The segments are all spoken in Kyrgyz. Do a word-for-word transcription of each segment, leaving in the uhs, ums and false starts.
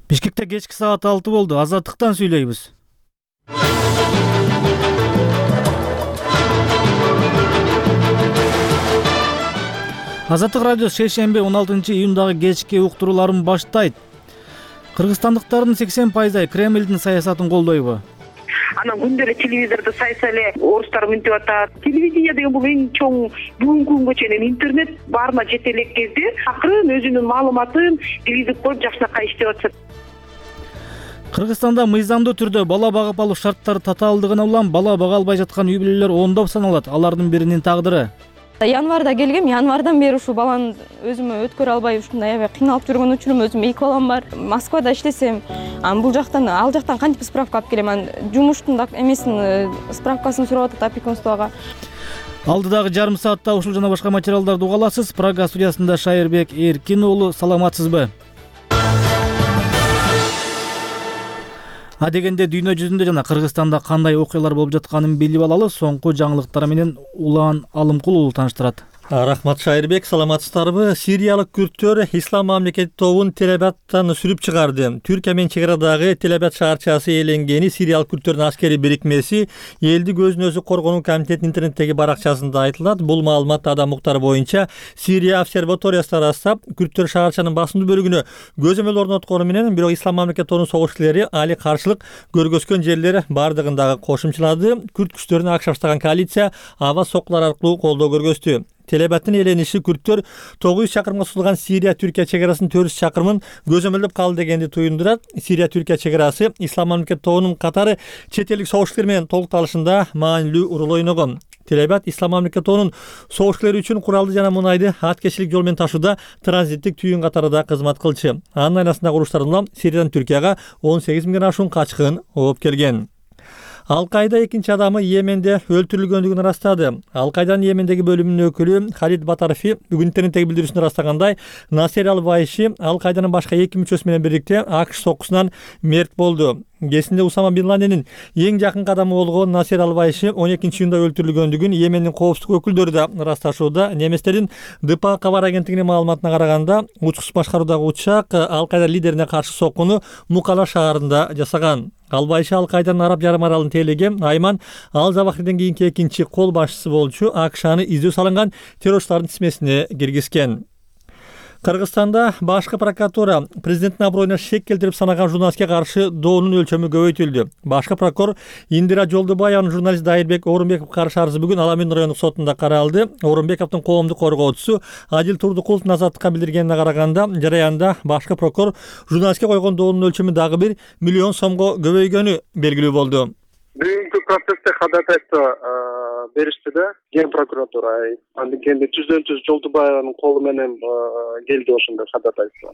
Бишкекте кечки саат алты болду. Азаттыктан сүйлөйбүз. Азаттык радиосу шейшемби он алтынчы июндагы кечки уктурууларын баштайт. Кыргызстандыктардын сексен пайызы Кремлдин саясатын колдойбу? Анан күндө эле телевизордо сайса эле орустар мынтип атат. Телевидение деген бул эң чоң бүгүнкү күнгө чейин интернет баарына жете элек кезде акырын өзүнүн маалыматын телевизор коюп жакшынакай иштеп атышат. Кыргызстанда мыйзамдуу түрдө бала багып алуу шарттары татаалдыгына улам бала бага албай жаткан үй бүлөлөр ондоп саналат. Алардын биринин тагдыры январда келгем, январдан бери ушул баланы өзүмө өткөрө албай ушундай аябай кыйналып жүргөн учурум. Өзүм эки балам бар. Москвада иштесем, анан бул жактан, ал жактан кантип справка алып келем? Анан жумуштун да эмесин справкасын сурап атат опекунствого. Алдыдагы жарым саатта ушул жана башка материалдарды уга аласыз. Прага студиясында Шайырбек Эркин уулу, саламатсызбы? А дегенде дүйнө жүзүндө жана Кыргызстанда кандай окуялар болуп жатканын билип алалы. Соңку жаңылыктар менен Улан Алымкул уулу тааныштырат. Рахмат Шайырбек, саламатсыздарбы? Сириялык күрттөр Ислам мамлекети тобун Телебаттан сүрүп чыгарды. Түркия менен чек арадагы Телебат шаарчасы ээленгени Сириялык күрттөрдүн аскери бирикмеси элди көзүн өзү коргонуу комитетинин интернеттеги баракчасында айтылат. Бул маалымат Адам Муктар боюнча Сирия обсерваториясы ырастап, күрттөр шаарчанын басымдуу бөлүгүнө көзөмөл орноткону менен, бирок Ислам мамлекети тобунун согушчулары али каршылык көргөзгөн жерлер бардыгын дагы кошумчалады. Күрт күчтөрүнө ак шаштаган коалиция аба соккулар аркылуу колдоо көргөздү. Телебаттын ээлениши күрттөр тогуз жүз чакырымга созулган Сирия-Түркия чек арасынын төрт жүз чакырымын көзөмөлдөп калды дегенди туюндурат. Сирия-Түркия чек арасы Ислам мамлекети тобунун катары чет элдик согушчулар менен толукталышында маанилүү роль ойногон. Телебат Ислам мамлекети тобунун согушчулары үчүн куралды жана мунайды аткечилик жол менен ташууда транзиттик түйүн катарында кызмат кылчу. Анын айласындагы уруштардан улам Сириядан Түркияга он сегиз миңден ашуун качкын ооп келген. Ал-Кайда экинчи адамы Йеменде өлтүрүлгөндүгүн ырастады. Ал-Кайданын Йемендеги бөлүмүнүн өкүлү Халид Батарфи бүгүн интернеттеги билдирүүсүндө ырастагандай, Насер Ал-Вайши Ал-Кайданын башка эки мүчөсү менен бирикте АКШ соккусунан мерт болду. Кесинде Усама Бин Ладенин эң жакын кадамы болгон Насер Ал-Вайши он экинчи июнда өлтүрүлгөндүгүн Йемендин коопсуздук өкүлдөрү да ырасташууда. Немистердин ДПА кабар агенттигинин маалыматына караганда, учкуч башкаруудагы учак Ал-Кайда лидерине каршы соккуну Мукала шаарында жасаган. Ал-Вайши Ал-Кайданын Араб жарым аралын тейлеге Айман Ал-Завахриден кийинки экинчи кол башчысы болчу. АКШ аны издөө салынган террорчулардын тизмесине киргизген. Кыргызстанда башкы прокуратура президенттин аброюна шек келтирип санаган журналистке каршы доонун өлчөмү көбөйтүлдү. Башкы прокурор Индира Жолдубаеванын журналист Дайырбек Орунбековго каршы арызы бүгүн Ала Мен райондук сотунда каралды. Орунбековдун коомдук коргоочусу Адил Турдукуловдун азаттыкка билдиргенине караганда, жараянда башкы прокурор журналистке койгон доонун өлчөмү дагы бир миллион сомго көбөйгөнү белгилүү болду. Бүгүнкү процессте кадатайты беришти да Ген прокуратура. Андыктен түздөн түз Жолдубаеванын колу менен келди ошондой кадатайты.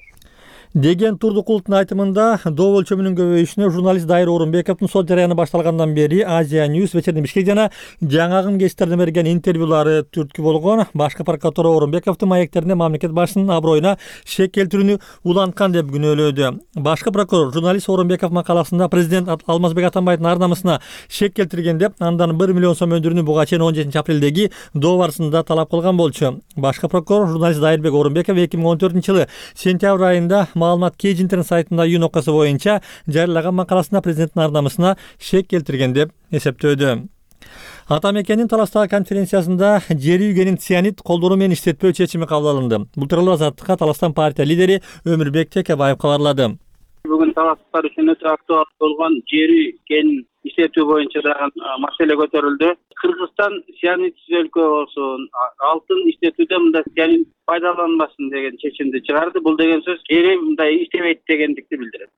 Деген Турдукуловдун айтымында доо өлчөмүнүн көбөйүшүнө журналист Дайыр Орунбековдун сот жараяны башталгандан бери Азия Ньюс, Вечерний Бишкек жана жаңагым гезиттерине берген интервьюлары түрткү болгон. Башкы прокуратура Орунбековдун маектерине мамлекет башчысынын аброюна шек келтирүүнү уланткан деп күнөөлөдү. Башкы прокурор журналист Орунбеков макаласында президент Алмазбек Атамбаевдин ар намысына шек келтирген деп, андан бир миллион сом өндүрүүнү буга чейин он жетинчи апрелдеги доо барысында талап кылган болчу. Башкы прокурор журналист Дайырбек Орунбеков эки миң он төртүнчү жылы сентябрь айында маалымат Кеж интернет сайтында июнь окуясы боюнча жарыялаган макаласында президенттин ар намысына шек келтирген деп эсептөөдү. Ата мекенин Таластагы конференциясында жер үйгенин цианид колдонуу менен иштетпөө чечими кабыл алынды. Бул тууралуу Азаттыкка Таластан партия лидери Өмүрбек Текебаев кабарлады. Бүгүн таластар үчүн өтө актуал болгон жер үйгенин иштетүү боюнча дагы маселе көтөрүлдү. Кыргызстан цианидсиз өлкө болсун, алтын иштетүүдө мындай цианид пайдаланбасын деген чечимди чыгарды. Бул деген сөз жери мындай иштебейт дегендикти билдирет.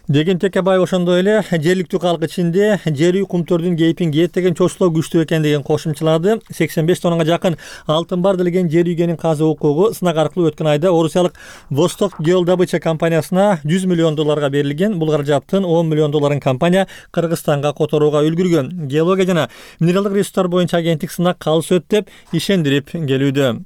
Деген Текебаев ошондой эле жергиликтүү калк ичинде жер үй кумтөрдүн кейпин кийет деген чочулоо күчтүү экен деген кошумчалады. сексен беш тоннага жакын алтын бар делген жер үйгенин казуу укугу сынак аркылуу өткөн айда орусиялык Восток Геодобыча компаниясына жүз миллион долларга берилген. Бул каражаттын он миллион долларын компания Кыргызстанга которууга үлгүргөн. Геология жана минералдык ресурстар боюнча агенттик сынак калыс өт деп ишендирип келүүдө.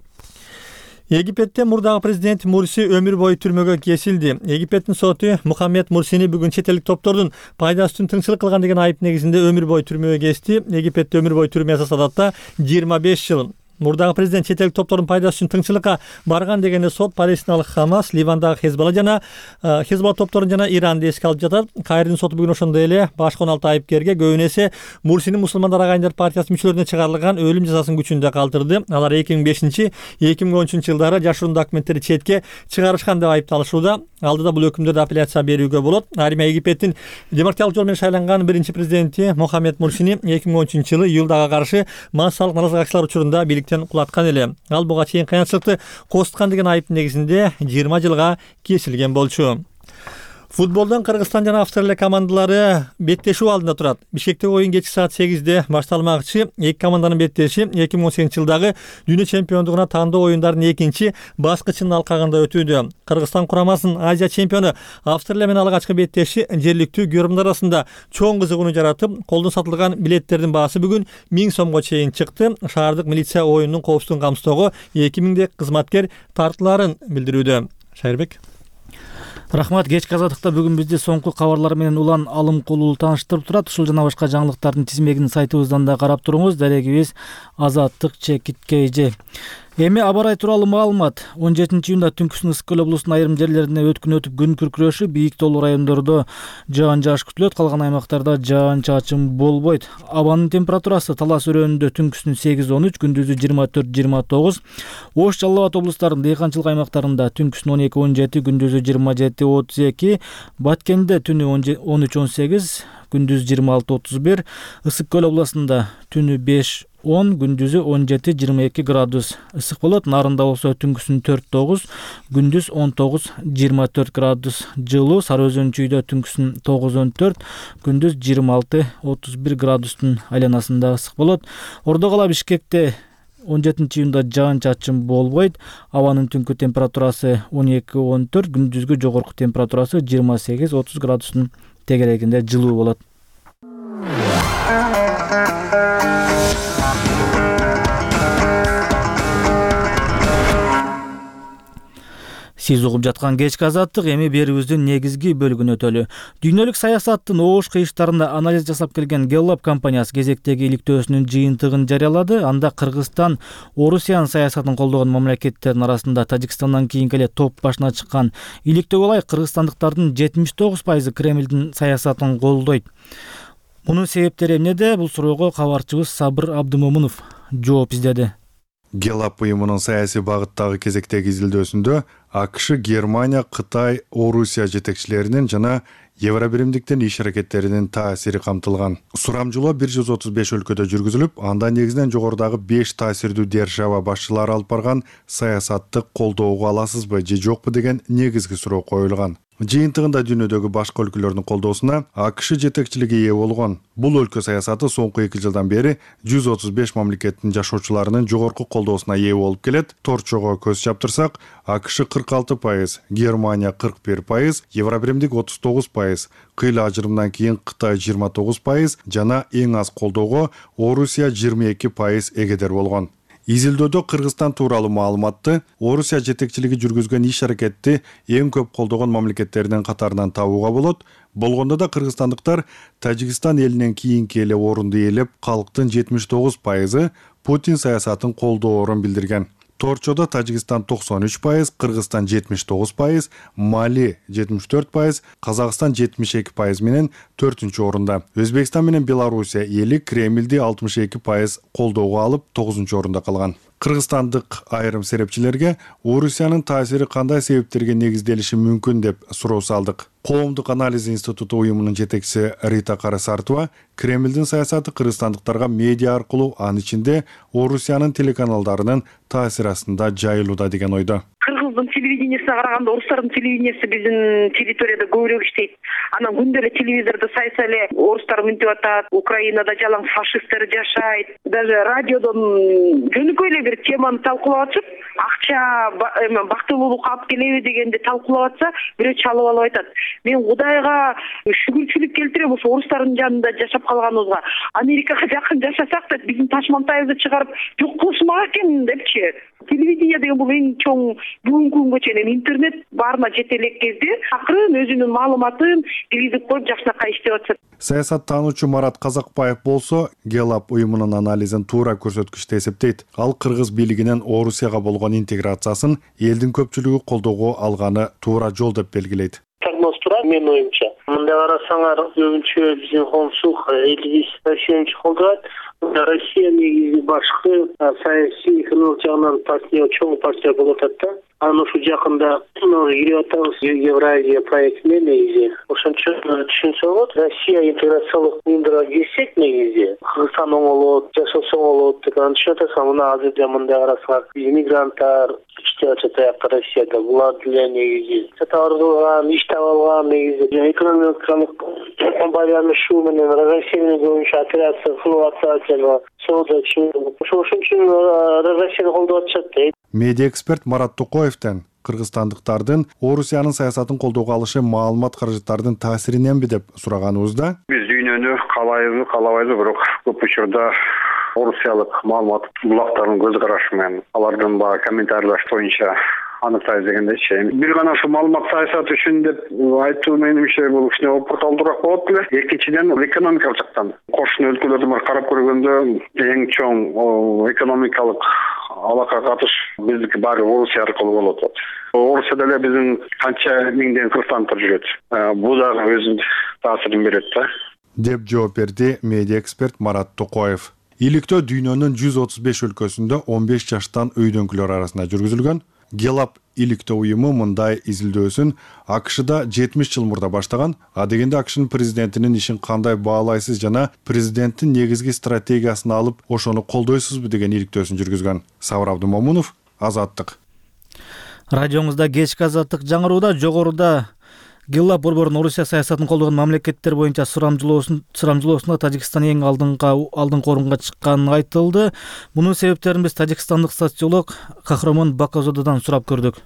Египетте мурдагы президент Мурси өмүр бою түрмөгө кесилди. Египеттин соту Мухаммед Мурсини бүгүн чет элдик топтордун пайдасы үчүн тыңчылык кылган деген айып негизинде өмүр бою түрмөгө кести. Египетте өмүр бою түрмө жазасы адатта жыйырма беш жыл. Мурдагы президент чет элдик топтордун пайдасы үчүн тыңчылыкка барган дегенде сот Палестиналык Хамас, Ливандагы Хезболла жана Хезболла топторун жана Иранды эске алып жатат. Кайрдын соту бүгүн ошондой эле башка он алты айыпкерге көбүн эсе Мурсинин мусулмандар агайындар партиясынын мүчөлөрүнө чыгарылган өлүм жазасын күчүндө калтырды. Алар эки миң бешинчи эки миң он үчүнчү жылдары жашыруун документтерди четке чыгарышкан деп айыпталышууда. Алдыда бул өкүмдөрдү апелляция берүүгө болот. Айрым Египеттин демократиялык жол менен шайланган биринчи президенти Мохаммед Мурсини эки миң он үчүнчү жылы июлдага каршы массалык наразылык акциялар учурунда бийликтен кулаткан эле. Ал буга чейин кыянчылыкты козуткан деген айыптын негизинде жыйырма жылга кесилген болчу. Футболдон Кыргызстан жана Австралия командалары беттешүү алдында турат. Бишкектеги оюн кечки саат сегизде башталмакчы. Эки команданын беттеши эки миң он сегизинчи жылдагы дүйнө чемпиондугуна тандоо оюндарынын экинчи баскычынын алкагында өтүүдө. Кыргызстан курамасынын Азия чемпиону Австралия менен алгачкы беттеши жергиликтүү көрөрмандар арасында чоң кызыгууну жаратып, колдон сатылган билеттердин баасы бүгүн миң сомго чейин чыкты. Шаардык милиция оюндун коопсуздугун камсыздоого эки миңдек кызматкер тартылаарын билдирүүдө. Шайырбек. Рахмат. Кечки азаттыкта бүгүн бизди соңку кабарлар менен улан алым кулуу тааныштырып турат. Ушул жана башка жаңылыктардын тизмегин сайтыбыздан да карап туруңуз. Дарегибиз азаттык чекит kg. Эми аба ырайы тууралуу маалымат. он жетинчи июнда түнкүсүн Ысык көл облусунун айрым жерлерине өткүн өтүп күн күркүрөшү, бийик тоолуу райондордо жаан жааш күтүлөт, калган аймактарда жаан чачын болбойт. Абанын температурасы Талас өрөөнүндө түнкүсүн сегиз он үч, күндүзү жыйырма төрт жыйырма тогуз, Ош Жалал Абад облустарынын дыйканчылык аймактарында түнкүсүн он эки он жети, күндүзү жыйырма жети отуз эки, Баткенде түнү он үч он сегиз, күндүз жыйырма алты отуз бир, Ысык көл областында түнү беш он, күндүзү он жети жыйырма эки градус ысык болот. Нарында болсо түнкүсүн төрт тогуз, күндүз он тогуз жыйырма төрт градус жылуу. Сары Өзөн чүйдө түнкүсүн тогуз он төрт, күндүз жыйырма алты отуз бир градустун айланасында ысык болот. Ордо кала Бишкекте он жетинчи июнда жаан чачын болбойт. Абанын түнкү температурасы он эки он төрт, күндүзгү жогорку температурасы жыйырма сегиз отуз градустун тегерегинде жылуу болот. Сиз угуп жаткан кечки азаттык эми берүүбүздүн негизги бөлүгүнө өтөлү. Дүйнөлүк саясаттын оош кыйыштарында анализ жасап келген Gallup компаниясы кезектеги иликтөөсүнүн жыйынтыгын жарыялады. Анда Кыргызстан Орусиянын саясатын колдогон мамлекеттердин арасында Тажикстандан кийинки эле топ башына чыккан. Иликтөөгө ылайык кыргызстандыктардын жетимиш тогуз пайызы Кремлдин саясатын колдойт. Мунун себептери эмнеде? Бул суроого кабарчыбыз Сабыр Абдымомунов жооп издеди. Gallup уюмунун саясий багыттагы кезектеги изилдөөсүндө АКШ, Германия, Кытай, Орусия жетекчилеринин жана Евробиримдиктин иш аракеттеринин таасири камтылган. Сурамжылоо бир жүз отуз беш өлкөдө жүргүзүлүп, анда негизинен жогорудагы беш таасирдүү держава башчылары алып барган саясатты колдоого аласызбы же жокпу деген негизги суроо коюлган. Жыйынтыгында дүйнөдөгү башка өлкөлөрдүн колдоосуна АКШ жетекчилиги ээ болгон. Бул өлкө саясаты соңку эки жылдан бери жүз отуз беш мамлекеттин жашоочуларынын жогорку колдоосуна ээ болуп келет. Торчого көз чаптырсак, АКШ кырк алты пайыз, Германия кырк бир пайыз, Евробиримдик отуз тогуз пайыз, кыйла ажырымдан кийин Кытай жыйырма тогуз пайыз жана эң аз колдоого Орусия жыйырма эки пайыз эгедер болгон. Изилдөөдө Кыргызстан тууралуу маалыматты Орусия жетекчилиги жүргүзгөн иш аракетти эң көп колдогон мамлекеттердин катарынан табууга болот. Болгондо да кыргызстандыктар Тажикстан элинен кийинки эле орунду ээлеп, калктын жетимиш тогуз пайызы Путин саясатын колдоорун билдирген. Торчодо Тажикстан токсон үч пайыз, Кыргызстан жетимиш тогуз пайыз, Мали жетимиш төрт пайыз, Казакстан жетимиш эки пайыз менен төртүнчү орунда. Өзбекстан менен Белоруссия эли Кремлди алтымыш эки пайыз колдоого алып, тогузунчу орунда калган. Кыргызстандык айрым серепчилерге Орусиянын таасири кандай себептерге негизделиши мүмкүн деп суроо салдык. Коомдук анализ институту уюмунун жетекчиси Рита Карасартова Кремлдин саясаты кыргызстандыктарга медиа аркылуу, анын ичинде Орусиянын телеканалдарынын таасири астында жайылууда деген ойдо. Кыргыздын телевидениясына караганда орустардын телевидениясы биздин территорияда көбүрөөк иштейт. Анан күндө эле телевизордо сайса эле орустар мынтип атат, Украинада жалаң фашисттер жашайт. Даже радиодон жөнөкөй эле бир теманы талкуулап атышып, акча бактылуулукка алып келеби дегенди талкуулап атса, бирөө чалып алып айтат. Мен Кудайга шүгүрчүлүк келтирем ошо орустардын жанында жашап калганыбызга. Америкага жакын жашасак да биздин ташмантайыбызды чыгарып жок кылышмак экен депчи. Телевидение деген бул эң чоң бүгүнкү күнгө чейин интернет баарына жете элек кезде акырын өзүнүн маалыматын киргизип коюп жакшынакай иштеп атышат. Саясаттануучу Марат Казакбаев болсо Гелап уюмунун анализин туура көрсөткүчтө эсептейт. Ал кыргыз бийлигинин Орусияга болгон интеграциясын элдин көпчүлүгү колдоого алганы туура жол деп белгилейт. Прогноз турат менин оюмча. Мындай карасаңар, көбүнчө биздин коомчулук элибиз Россияны колдойт. Россия негизи башкы саясий экономик жагынан партия чоң партия болуп атат да. Анан ушу жакында кирип атабыз Евразия проектине негизи. Ошончо түшүнсө болот. Россия интеграциялык уюмдарга кирсек негизи Кыргызстан оңолот, жашоосу оңолот деп түшүнүп атасың. Мына азырда мындай карасаңар, иммигранттар иштеп атат аякта Россияда. Булар деле негизи сатарган, иш таап алган негизи экономикалык байланышуу менен Россияны боюнча операция кылып атат жана соода чыгып. Ошол үчүн Россияны колдоп атышат дейт. Медиа эксперт Марат Токоевден кыргызстандыктардын Орусиянын саясатын колдоого алышы маалымат каражаттарынын таасириненби деп сураганыбызда, биз дүйнөнү каалайбыз, каалабайбыз, бирок көп учурда орусиялык маалымат булактарынын көз карашы менен алардын баягы комментарийлаш боюнча аныктайбыз дегендейчи. Бир гана ошо маалымат саясаты үчүн деп айтуу менимче бул кичине опурталдуураак болот эле. Экинчиден экономикалык жактан кошуна өлкөлөрдү бар карап көргөндө эң чоң экономикалык алака катыш биздики баары Орусия аркылуу болуп атат. Орусияда эле биздин канча миңдеген кыргызстандыктар жүрөт. Бул дагы өзүнүн таасирин берет да. Деп жооп берди медиа эксперт Марат Токоев. Иликтөө дүйнөнүн жүз отуз беш өлкөсүндө он беш жаштан өйдөнкүлөр арасында жүргүзүлгөн. Гелап иликтөө уюму мындай изилдөөсүн АКШда жетимиш жыл мурда баштаган. А дегенде АКШнын президентинин ишин кандай баалайсыз жана президенттин негизги стратегиясын алып, ошону колдойсузбу деген иликтөөсүн жүргүзгөн. Сабыр Абдымомунов, Азаттык. Радиоңузда кечки Азаттык жаңырууда жогоруда Гелап борборунун Орусия саясатын колдогон мамлекеттер боюнча сурамжылоосунда Тажикстан эң алдыңкы алдыңкы орунга чыкканы айтылды. Мунун себептерин биз тажикстандык социолог Кахрамон Бакозододон сурап көрдүк.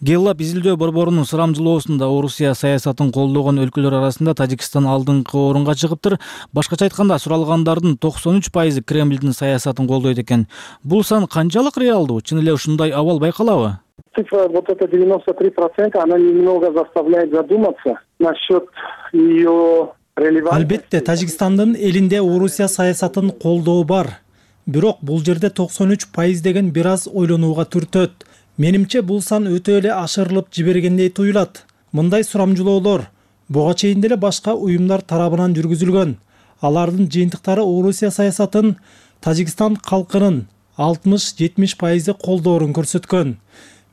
Гелап изилдөө борборунун сурамжылоосунда Орусия саясатын колдогон өлкөлөр арасында Тажикстан алдыңкы орунга чыгыптыр. Башкача айтканда, суралгандардын токсон үч пайызы Кремлдин саясатын колдойт экен. Бул сан канчалык реалдуу? Чын эле ушундай абал байкалабы? Цифра вот это девяносто три процента, она немного заставляет задуматься насчет ее релевантности. Албетте, Тажикстандын элинде Орусия саясатын колдоо бар. Бирок бул жерде токсон үч пайыз деген бир аз ойлонууга түртөт. Менимче бул сан өтө эле ашырылып жибергендей туюлат. Мындай сурамжылоолор буга чейин деле башка уюмдар тарабынан жүргүзүлгөн. Алардын жыйынтыктары Орусия саясатын Тажикстан калкынын алтымыш жетимиш пайызы колдоорун көрсөткөн.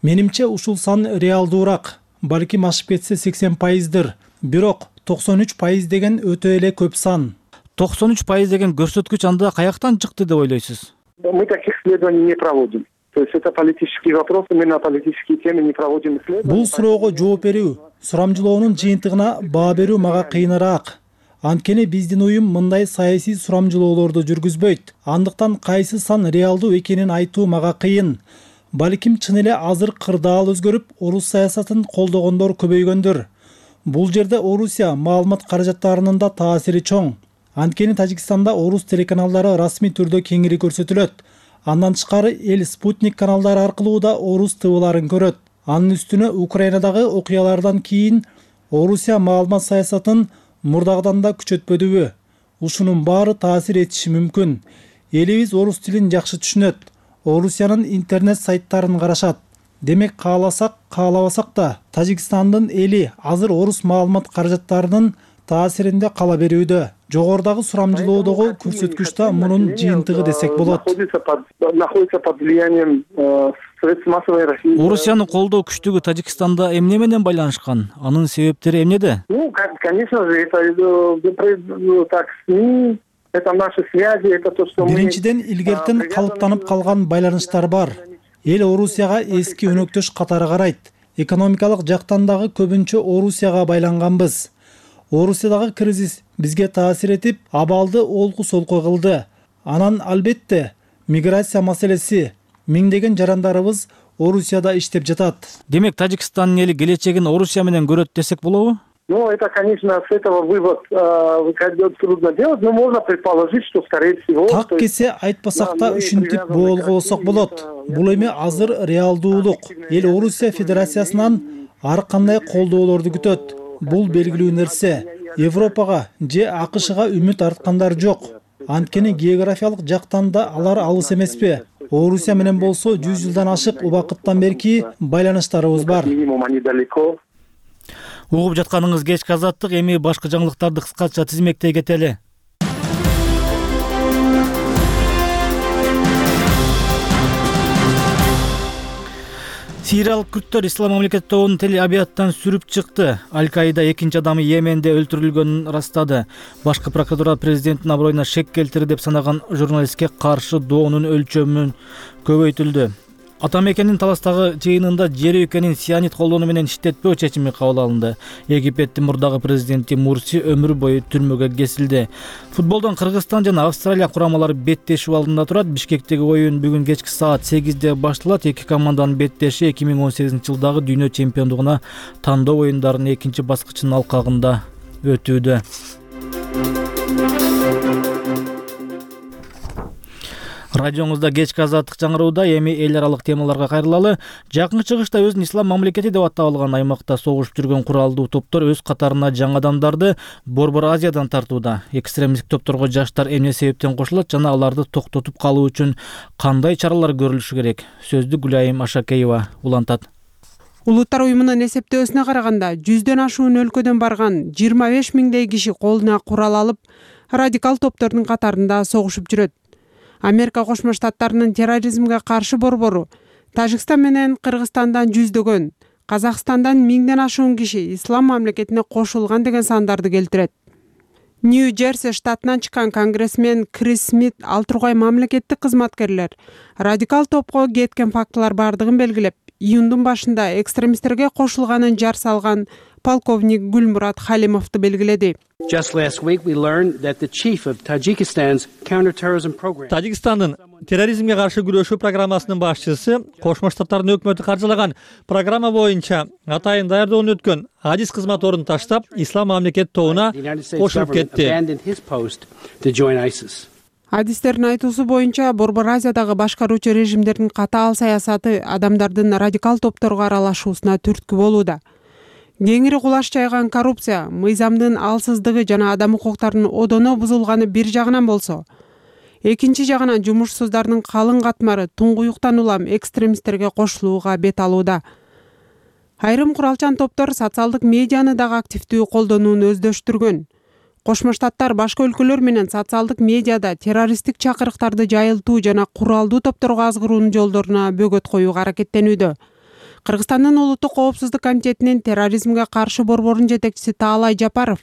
Менимче ушул сан реалдуураак, балким ашып кетсе сексен пайыздыр. Бирок токсон үч пайыз деген өтө эле көп сан. токсон үч пайыз деген көрсөткүч анда каяктан чыкты деп ойлойсуз? Мы таких исследований не проводим. То есть это политический вопрос, мы на политические темы не проводим исследования. Бул суроого жооп берүү, сурамжылоонун жыйынтыгына баа берүү мага кыйыныраак. Анткени биздин уюм мындай саясий сурамжылоолорду жүргүзбөйт. Андыктан кайсы сан реалдуу экенин айтуу мага кыйын. Балким чын эле азыр кырдаал өзгөрүп, орус саясатын колдогондор көбөйгөндүр. Бул жерде Орусия маалымат каражаттарынын да таасири чоң. Анткени Тажикстанда орус телеканалдары расмий түрдө кеңири көрсөтүлөт. Андан тышкары эл Спутник каналдары аркылуу да орус тыбыларын көрөт. Анын үстүнө Украинадагы окуялардан кийин Орусия маалымат саясатын мурдагыдан да күчөтпөдүбү? Ушунун баары таасир этиши мүмкүн. Элибиз орус тилин жакшы түшүнөт. Орусиянын интернет сайттарын карашат. Демек кааласак, каалабасак да Тажикстандын эли азыр орус маалымат каражаттарынын таасиринде кала берүүдө. Жогорудагы сурамжылоодогу көрсөткүч да мунун жыйынтыгы десек болот. Находится под влиянием средств массовой информации. Орусиянын колдоо күчтүгү Тажикстанда эмне менен байланышкан? Анын себептери эмнеде? Ну, конечно же, это так СМИ. Это наши связи, это то, что мы... Биринчиден, илгертен калыптанып калган байланыштар бар. Эл Орусияга эски өнөктөш катары карайт. Экономикалык жактан дагы көбүнчө Орусияга байланганбыз. Орусиядагы кризис бизге таасир этип, абалды олку-солку кылды. Анан албетте миграция маселеси, миңдеген жарандарыбыз Орусияда иштеп жатат. Демек, Тажикстандын эли келечегин Орусия менен көрөт десек болобу? Ну, это, конечно, с этого вывод э, трудно делать, но можно предположить, что, скорее всего... Так кесе айтпасак да ушинтип боолго болсок болот. Бул эми азыр реалдуулук. Эл Орусия Федерациясынан ар кандай колдоолорду күтөт. Бул белгилүү нерсе. Европага же АКШга үмүт арткандар жок. Анткени географиялык жактан да алар алыс эмеспи. Орусия менен болсо жүз жылдан ашык убакыттан берки байланыштарыбыз бар. Угуп жатканыңыз кечки азаттык, эми башка жаңылыктарды кыскача тизмектей кетели. Сириялык күрттөр Ислам мамлекети тобунун телеабияттан сүрүп чыкты. Аль-Каида экинчи адамы Йеменде өлтүрүлгөнүн ырастады. Башкы прокуратура президенттин аброюна шек келтирди деп санаган журналистке каршы доонун өлчөмүн көбөйтүлдү. Ата мекенин Таластагы жыйынында жер өлкөнүн сианид колдонуу менен иштетпөө чечими кабыл алынды. Египеттин мурдагы президенти Мурси өмүр бою түрмөгө кесилди. Футболдон Кыргызстан жана Австралия курамалары беттешүү алдында турат. Бишкектеги оюн бүгүн кечки саат сегизде башталат. Эки команданын беттеши эки миң он сегизинчи жылдагы дүйнө чемпиондугуна тандоо оюндарынын экинчи баскычынын алкагында өтүүдө. Радионузда кечки азаттык жаңырууда, эми эл аралык темаларга кайрылалы. Жакын чыгышта өзүн ислам мамлекети деп атап алган аймакта согушуп жүргөн куралдуу топтор өз катарына жаңы адамдарды Борбор Азиядан тартууда. Экстремисттик топторго жаштар эмне себептен кошулат жана аларды токтотуп калуу үчүн кандай чаралар көрүлүшү керек? Сөздү Гүлайым Ашакеева улантат. Улуттар уюмунун эсептөөсүнө караганда, жүздөн ашуун өлкөдөн барган жыйырма беш миңдей киши колуна курал алып, радикал топтордун катарында согушуп жүрөт. Америка Кошмо Штаттарынын терроризмге каршы борбору Тажикстан менен Кыргызстандан жүздөгөн, Казакстандан миңден ашуун киши ислам мамлекетине кошулган деген сандарды келтирет. Нью-Джерси штатынан чыккан конгрессмен Крис Смит ал тургай мамлекеттик кызматкерлер радикал топко кеткен фактылар бардыгын белгилеп, июндун башында экстремисттерге кошулганын жар салган полковник Гүлмурат Халимовду белгиледи. Just last week we learned that the chief of Tajikistan's counterterrorism program. Тажикстандын терроризмге каршы күрөшүү программасынын башчысы Кошмо Штаттардын өкмөтү каржылаган программа боюнча атайын даярдоодон өткөн адис кызмат ордун таштап, ислам мамлекет тобуна кошулуп кетти. Адистердин айтуусу боюнча Борбор Азиядагы башкаруучу режимдердин катаал саясаты адамдардын радикал топторго аралашуусуна түрткү болууда. Кеңири кулаш жайган коррупция, мыйзамдын алсыздыгы жана адам укуктарынын одоно бузулганы бир жагынан болсо, экинчи жагынан жумушсуздардын калың катмары туңгуюктан улам экстремисттерге кошулууга бет алууда. Айрым куралчан топтор социалдык медианы дагы активдүү колдонууну өздөштүргөн. Кошмо Штаттар башка өлкөлөр менен социалдык медиада террористтик чакырыктарды жайылтуу жана куралдуу топторго азгыруунун жолдоруна бөгөт коюуга аракеттенүүдө. Кыргызстандын улуттук коопсуздук комитетинин терроризмге каршы борборунун жетекчиси Таалай Жапаров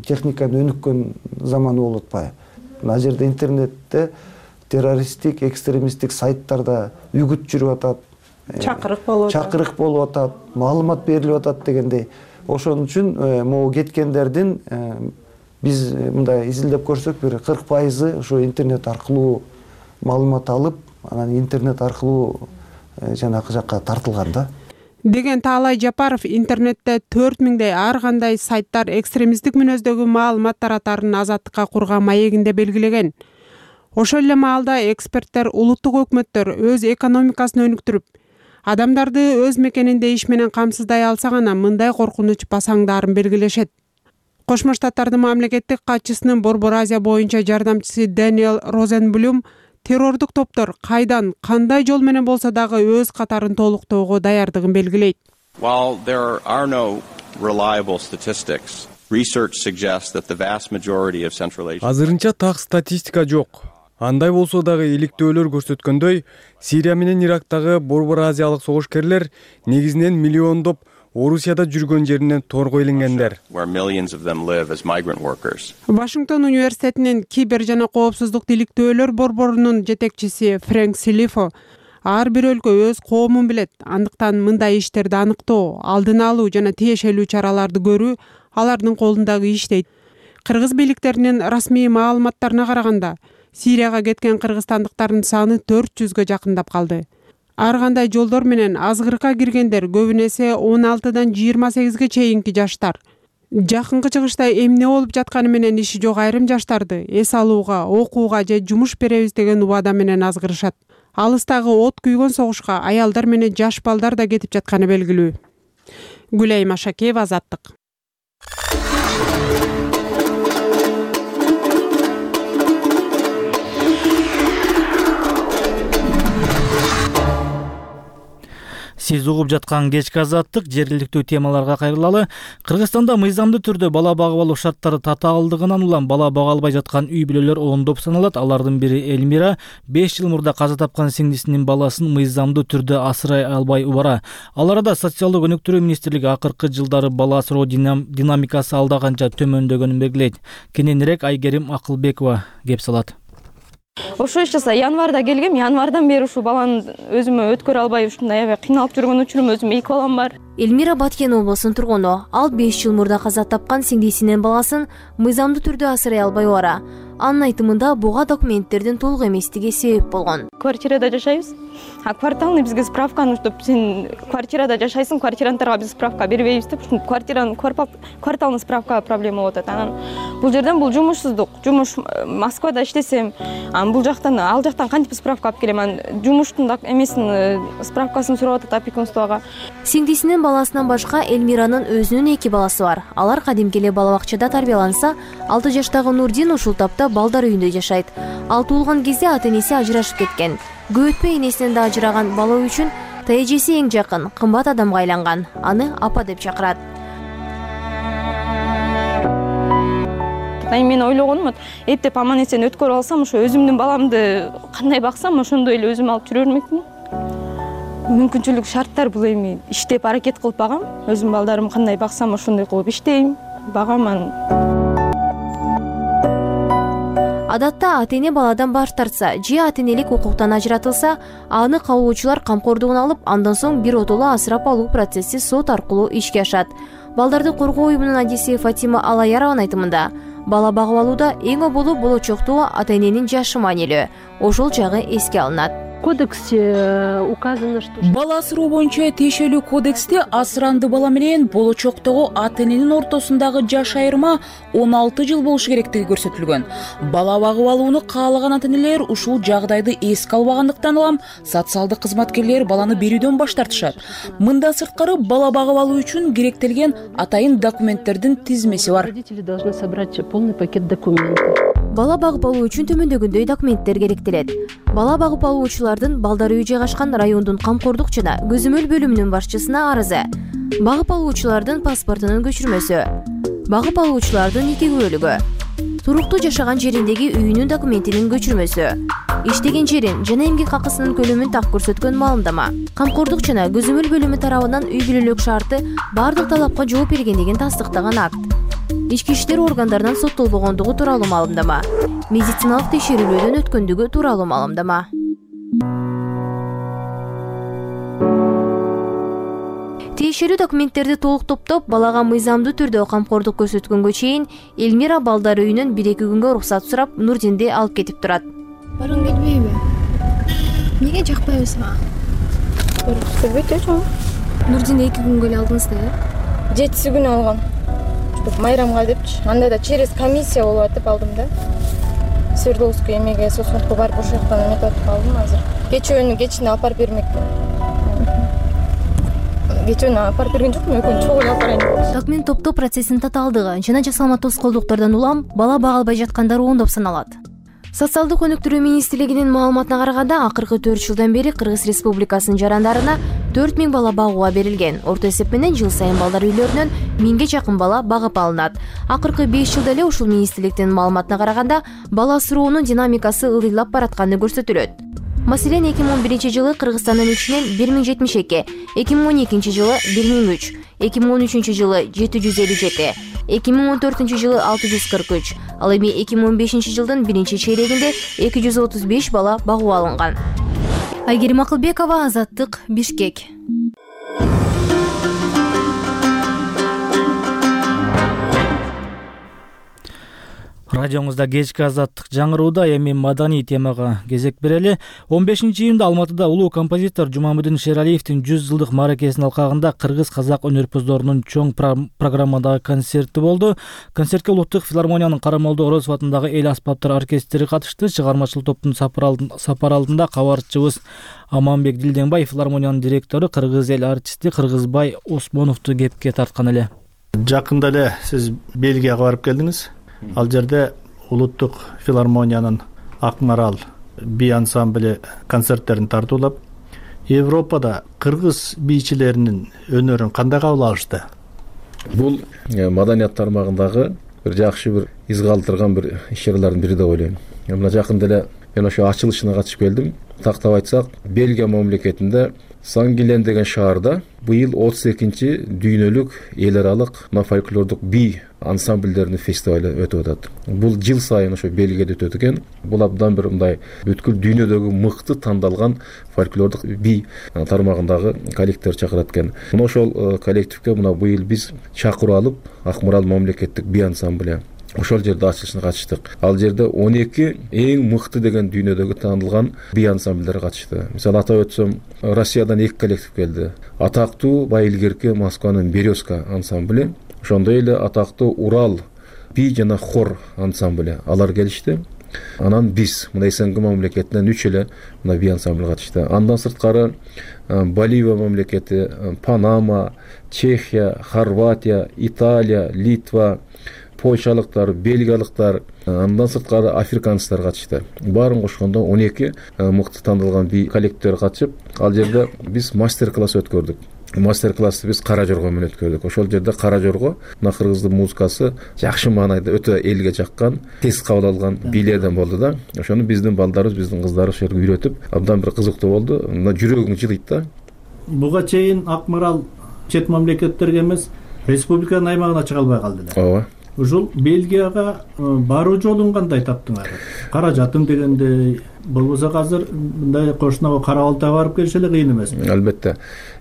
техниканын өнүккөн заманы болуп атпайбы? Мына жерде интернетте террористтик, экстремисттик сайттарда үгүт жүрүп атат, чакырык болуп атат, чакырык болуп атат, маалымат берилип атат дегендей. Ошон үчүн могу кеткендердин биз мындай изилдеп көрсөк, бир кырк пайызы ошо интернет аркылуу маалымат алып, анан интернет аркылуу жанакы жакка тартылган да. Деген Таалай Жапаров интернетте төрт миңдей ар кандай сайттар экстремисттик мүнөздөгү маалымат таратарын азаттыкка курган маегинде белгилеген. Ошол эле маалда эксперттер улуттук өкмөттөр өз экономикасын өнүктүрүп, адамдарды өз мекенинде иш менен камсыздай алса гана мындай коркунуч басаңдаарын белгилешет. Кошмо Штаттардын мамлекеттик катчысынын Борбор Азия боюнча жардамчысы Дэниел Розенблюм террордук топтор кайдан, кандай жол менен болсо дагы өз катарын толуктоого даярдыгын белгилейт. While there are no reliable statistics, research suggests that the vast majority of Central Asia. Азырынча так статистика жок. Андай болсо дагы иликтөөлөр көрсөткөндөй, Сирия менен Ирактагы Борбор Азиялык согушкерлер негизинен миллиондоп Орусияда жүргөн жеринен торго илингендер. Вашингтон университетинин кибер жана коопсуздук иликтөөлөр борборунун жетекчиси Фрэнк Силифо ар бир өлкө өз коомун билет, андыктан мындай иштерди аныктоо, алдын алуу жана тиешелүү чараларды көрүү алардын колундагы иш дейт. Кыргыз бийликтеринин расмий маалыматтарына караганда, Сирияга кеткен кыргызстандыктардын саны төрт жүзгө жакындап калды. Ар кандай жолдор менен азгырыкка киргендер көбүн эсе он алтыдан жыйырма сегизге чейинки жаштар. Жакынкы чыгышта эмне болуп жатканы менен иши жок айрым жаштарды эс алууга, окууга же жумуш беребиз деген убада менен азгырышат. Алыстагы от күйгөн согушка аялдар менен жаш балдар да кетип жатканы белгилүү. Гүлайым Ашакеева, Азаттык. Сиз угуп жаткан кечки Азаттык жергиликтүү темаларга кайрылалы. Кыргызстанда мыйзамдуу түрдө бала багып алуу шарттары татаалдыгынан улам бала бага албай жаткан үй бүлөлөр ондоп саналат. Алардын бири Элмира беш жыл мурда каза тапкан сиңдисинин баласын мыйзамдуу түрдө асырай албай убара. Ал арада социалдык өнүктүрүү министрлиги акыркы жылдары бала асыроо динамикасы алда канча төмөндөгөнүн белгилейт. Кененирээк Айгерим Акылбекова кеп салат. Ошо иш жаса январда келгем, январдан бери ушул баланы өзүмө өткөрө албай ушундай аябай кыйналып жүргөн учурум, өзүм эки балам бар. Элмира Баткен облусунун тургуну. Ал беш жыл мурда каза тапкан сиңдисинин баласын мыйзамдуу түрдө асырай албай убара. Анын айтымында буга документтердин толук эместиги себеп болгон. Квартирада жашайбыз. А кварталны бизге справканы, чтоб сен квартирада жашайсың, квартирантарга биз справка бербейбиз деп, ушул квартиранын кварталный справка проблема болуп атат. Анан бул жерден бул жумушсуздук. Жумуш Москвада иштесем, анан бул жактан ал жактан кантип справка алып келем? Анан жумуштун эмесин справкасын сурап атат опекунствого. Сиңдисинин баласынан башка Элмиранын өзүнүн эки баласы бар. Алар кадимки эле бала бакчада тарбияланса, алты жаштагы Нурдин ушул тапта балдар үйүндө жашайт. Ал туулган кезде ата-энеси ажырашып кеткен. Көп өтпөй энесинен да ажыраган бала үчүн тажеси эң жакын, кымбат адамга айланган. Аны апа деп чакырат. Мен ойлогонум, эптеп аман эсен өткөрүп алсам, ошо өзүмдүн баламды кандай баксам, ошондой эле өзүм алып жүрө бермекмин. Мүмкүнчүлүк шарттар бул эми иштеп аракет кылып багам. Өзүм балдарым кандай баксам, ошондой кылып иштейм, багам. Адатта ата-эне баладан баш тартса, же ата-энелик укуктан ажыратылса, аны кабылуучулар камкордугуна алып, андан соң бир отоло асырап алуу процесси сот аркылуу ишке ашат. Балдарды коргоо уюмунун адиси Фатима Алаярованын айтымында, бала багып алууда эң оболу болочоктуу ата-эненин жашы маанилүү. Ошол жагы эске алынат. Кодексте указано, что бала асыроо боюнча тиешелүү кодексте асыранды бала менен болочоктогу ата-эненин ортосундагы жаш айырма он алты жыл болушу керектиги көрсөтүлгөн. Бала багып алууну каалаган ата-энелер ушул жагдайды эске албагандыктан улам социалдык кызматкерлер баланы берүүдөн баш тартышат. Мындан сырткары бала багып алуу үчүн керектелген атайын документтердин тизмеси бар. Родители должны собрать полный пакет документов. Бала багып алуу үчүн төмөндөгөндөй документтер керектелет. Бала багып алуучулардын балдар үйү жайгашкан райондун камкордук жана көзөмөл бөлүмүнүн башчысына арызы, багып алуучулардын паспортунун көчүрмөсү, багып алуучулардын эки күбөлүгү, туруктуу жашаган жериндеги үйүнүн документинин көчүрмөсү, иштеген жерин жана эмгек акысынын көлөмүн так көрсөткөн маалымдама, камкордук жана көзөмөл бөлүмү тарабынан үй бүлөлүк шарты бардык талапка жооп бергендигин тастыктаган акт, ички иштер органдарынан соттолбогондугу тууралуу маалымдама, медициналык текшерүүлөрдөн өткөндүгү тууралуу маалымдама. Тиешелүү документтерди толук топтоп, балага мыйзамдуу түрдө камкордук көрсөткөнгө чейин Элмира балдар үйүнөн бир эки күнгө уруксат сурап, Нурдинди алып кетип турат. Баргың келбейби? Эмнеге жакпайбы сага? Көрбөйт чоң. Нурдинди эки күнгө эле алдыңыз да, э? Жетиси күнү алгам. Чтоб майрамга депчи. Анда да через комиссия болуп атып алдым да. Свердловский эмеге соцфондко барып ошол жактан эметип атып алдым азыр. Кечөөнү кечине алып барып бермекмин. Кечөөнү алып барып берген жокмун, экөөнү чогуу алып барайын деп. Документ топтоо процессинин татаалдыгы жана жасалма тоскоолдуктардан улам бала бага албай жаткандар ондоп саналат. Социалдык өнүктүрүү министрлигинин маалыматына караганда, акыркы төрт жылдан бери Кыргыз Республикасынын жарандарына төрт миң бала багууга берилген. Орто эсеп менен жыл сайын балдар үйлөрүнөн миңге жакын бала багып алынат. Акыркы беш жылда эле ушул министрликтин маалыматына караганда, бала асыроонун динамикасы ылдыйлап баратканы көрсөтүлөт. Маселен, эки миң он биринчи жылы Кыргызстандын ичинен бир миң жетимиш эки, эки миң он экинчи жылы бир миң үч, эки миң он үчүнчү жылы жети жүз элүү жети, эки миң он төртүнчү жылы алты жүз кырк үч, ал эми эки миң он бешинчи жылдын биринчи чейрегинде эки жүз отуз беш бала багуу алынган. Айгерим Акылбекова, Азаттык, Бишкек. Радиоңузда кечки азаттык жаңырууда эми маданий темага кезек берели. он бешинчи июнда Алматыда улуу композитор Жумамудин Шералиевдин жүз жылдык мааракесинин алкагында кыргыз-казак өнөрпоздорунун чоң программадагы концерти болду. Концертке Улуттук филармониянын Карамолдо Орозов атындагы эл аспаптар оркестри катышты. Чыгармачыл топтун сапар алдында кабарчыбыз Аманбек Дилденбай филармониянын директору кыргыз эл артисти Кыргызбай Осмоновду кепке тарткан эле. Жакында эле сиз Бельгияга барып келдиңиз. Ал жерде Улуттук филармониянын Акмарал би ансамблі концерттерин тартуулап, Европада кыргыз бийчилеринин өнөрүн кандай кабыл алышты? Бул маданият тармагындагы бир жакшы бир из калтырган бир иш-чаралардын бири деп ойлойм. Мына жакында эле мен ошо ачылышына катышып келдим. Тактап айтсак, Бельгия мамлекетинде Сангилен деген шаарда быйыл отуз экинчи дүйнөлүк эл аралык фольклордук би ансамбльдеринин фестивалы өтүп атат. Бул жыл сайын ошо Бельгияда өтөт экен. Бул абдан бир мындай бүткүл дүйнөдөгү мыкты тандалган фольклордук би тармагындагы коллективдер чакырат экен. Мына ошол коллективге мына быйыл биз чакыруу алып, Акмарал мамлекеттик би ансамблі ошол жерде ачылышына катыштык. Ал жерде он эки эң мыкты деген дүйнөдөгү таанылган би ансамбльдер катышты. Мисалы атап өтсөм, Россиядан эки коллектив келди. Атактуу Байылгерке Москванын Березка ансамблі, ошондой эле атактуу Урал би жана хор ансамблі алар келишти. Анан биз мына СНГ мамлекетинен үч эле мына би ансамбль катышты. Андан сырткары Боливия мамлекети, Панама, Чехия, Хорватия, Италия, Литва, польшалыктар, бельгиялыктар, андан сырткары африканецтер катышты. Баарын кошкондо он эки мыкты тандалган би коллективдер катышып, ал жерде биз мастер-класс өткөрдүк. Мастер-классты биз Кара Жорго менен өткөрдүк. Ошол жерде Кара Жорго мына кыргыздын музыкасы жакшы маанайда өтө элге жаккан, тез кабыл алган бийлерден болду да. Ошону биздин балдарыбыз, биздин кыздарыбыз ошо жерге үйрөтүп, абдан бир кызыктуу болду. Мына жүрөгүң жылыйт да. Буга чейин Акмарал чет мамлекеттерге эмес, республиканын аймагына чыга албай калды да. Ооба. Ушул Бельгияга баруу жолун кандай таптыңар? Каражатын дегенде болбосо азыр мындай кошуна Кара-Балтайга барып келиш эле кыйын эмеспи? Албетте.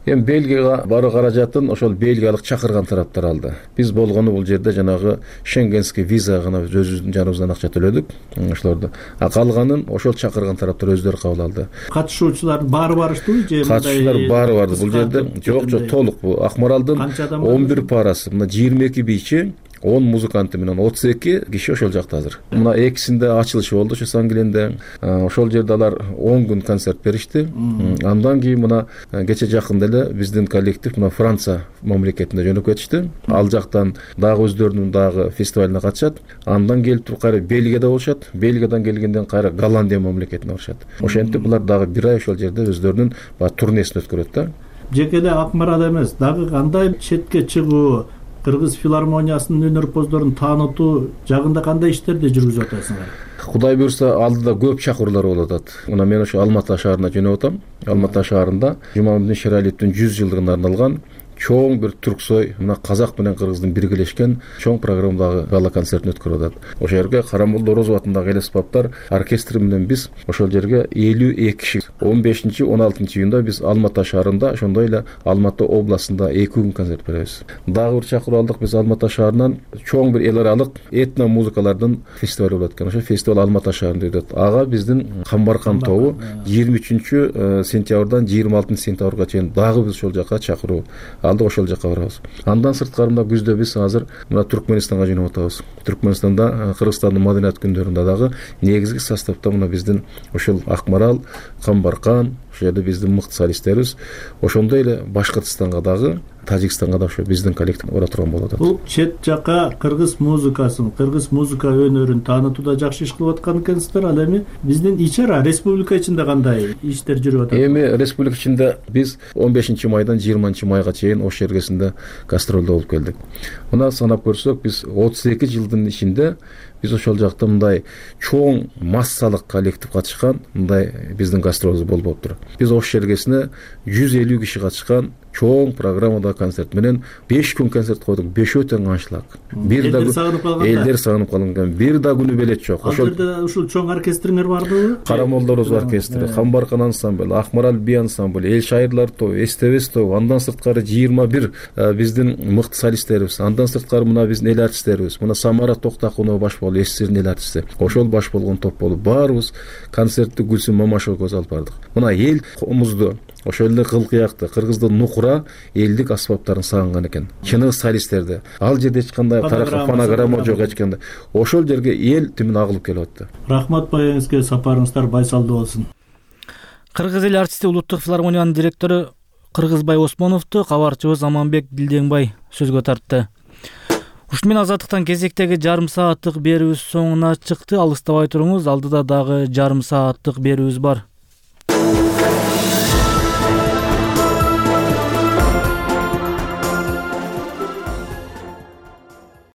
Эми Бельгияга баруу каражатын ошол бельгиялык чакырган тараптар алды. Биз болгону бул жерде жанагы шенгенский виза гана өзүбүздүн жаныбыздан акча төлөдүк, ошолорду. А калганын ошол чакырган тараптар өздөрү кабыл алды. Катышуучулар баары барыштыбы же? Катышуучулар баары барды. Бул жерде жок, жок, толук бул. Акмаралдын он бир парасы, мына жыйырма эки бийчи, он музыканты менен отуз эки киши ошол жакта азыр. Мына экисинде ачылышы болду ошо Сангиленде. Ошол жерде алар он күн концерт беришти. Андан кийин мына кече жакында эле биздин коллектив мына Франция мамлекетине жөнөп кетишти. Ал жактан дагы өздөрүнүн дагы фестивалына катышат. Андан келип туруп кайра Бельгияда болушат. Бельгиядан келгенден кайра Голландия мамлекетине барышат. Ошентип булар дагы бир ай ошол жерде өздөрүнүн турнесин өткөрөт да. Жеке эле Акмарал эмес, дагы кандай четке чыгуу, Кыргыз филармониясынын өнөрпоздорун таанытуу жагында кандай иштерди жүргүзүп атасыңар? Кудай буйрса алдыда көп чакыруулар болуп атат. Мына мен ошо Алматы шаарына жөнөп атам. Алматы шаарында Жумамудин Шералиевдин жүз жылдыгына арналган чоң бир түрксой, мына казак менен кыргыздын биргелешкен чоң программадагы гала концертин өткөрүп атат. Ошол жерге Карамолдо Орозов атындагы эл аспаптар оркестри менен биз ошол жерге элүү эки киши он бешинчи он алтынчы июнда биз Алматы шаарында, ошондой эле Алматы областында эки күн концерт беребиз. Дагы бир чакыруу алдык биз Алматы шаарынан чоң бир эл аралык этно музыкалардын фестивали болот экен. Ошо фестиваль Алматы шаарында өтөт. Ага биздин Камбаркан тобу жыйырма үчүнчү сентябрдан жыйырма алтынчы сентябрга чейин дагы биз ошол жака чакыруу алды, ошол жака барабыз. Андан сырткары мына күздө биз азыр мына Түркменистанга жөнөп атабыз. Түркменистанда Кыргызстандын маданият күндөрүндө дагы негизги составда мына биздин ошол Акмарал, Камбаркан, ошол жерде биздин мыкты солисттерибиз, ошондой эле Башкыртстанга дагы, Тажикстанга да ошо биздин коллектив бара турган болот. Бул чет жака кыргыз музыкасын, кыргыз музыка өнөрүн таанытууда жакшы иш кылып аткан экенсиздер. Ал эми биздин ичара республика ичинде кандай иштер жүрүп атат? Эми республика ичинде биз он бешинчи майдан жыйырманчы майга чейин ош жергесинде гастролдо болуп келдик. Мына санап көрсөк, биз отуз эки жылдын ичинде биз ошол жакта мындай чоң массалык коллектив катышкан мындай биздин гастролубуз болуп атыр. Биз ош жергесине жүз элүү киши катышкан чоң программада концерт менен беш күн концерт койдук. Бешөө тең аншлаг. Бир да элдер сагынып калган. Бир да күнү белет жок. Ошол жерде ушул чоң оркестриңер бардыбы? Карамолдорубуз оркестри, Хамбаркан ансамбль, Акмарал би ансамбль, Эл шайырлар тобу, Эстебес тобу, андан сырткары жыйырма бир биздин мыкты солисттерибиз, андан сырткары мына биздин эл артисттерибиз, мына Самара Токтакунова баш болду, СССРдин эл артисти. Ошол баш болгон топ болуп баарыбыз концертти Гүлсүм Мамашева көз алып бардык. Мына эл комузду, ошол эле кылкыякты, кыргыздын нукура элдик аспаптарын сагынган экен. Чыныгы солисттерди. Ал жерде эч кандай фонограмма жок эч кандай. Ошол жерге эл түмүн агылып келип атты. Рахмат байыңызга, сапарыңыздар байсалдуу болсун. Кыргыз эл артисти Улуттук филармониянын директору Кыргызбай Осмоновду кабарчыбыз Аманбек Дилдеңбай сөзгө тартты. Ушуну менен Азаттыктан кезектеги жарым сааттык берүүбүз соңуна чыкты. Алыстабай туруңуз, алдыда дагы жарым сааттык берүүбүз бар.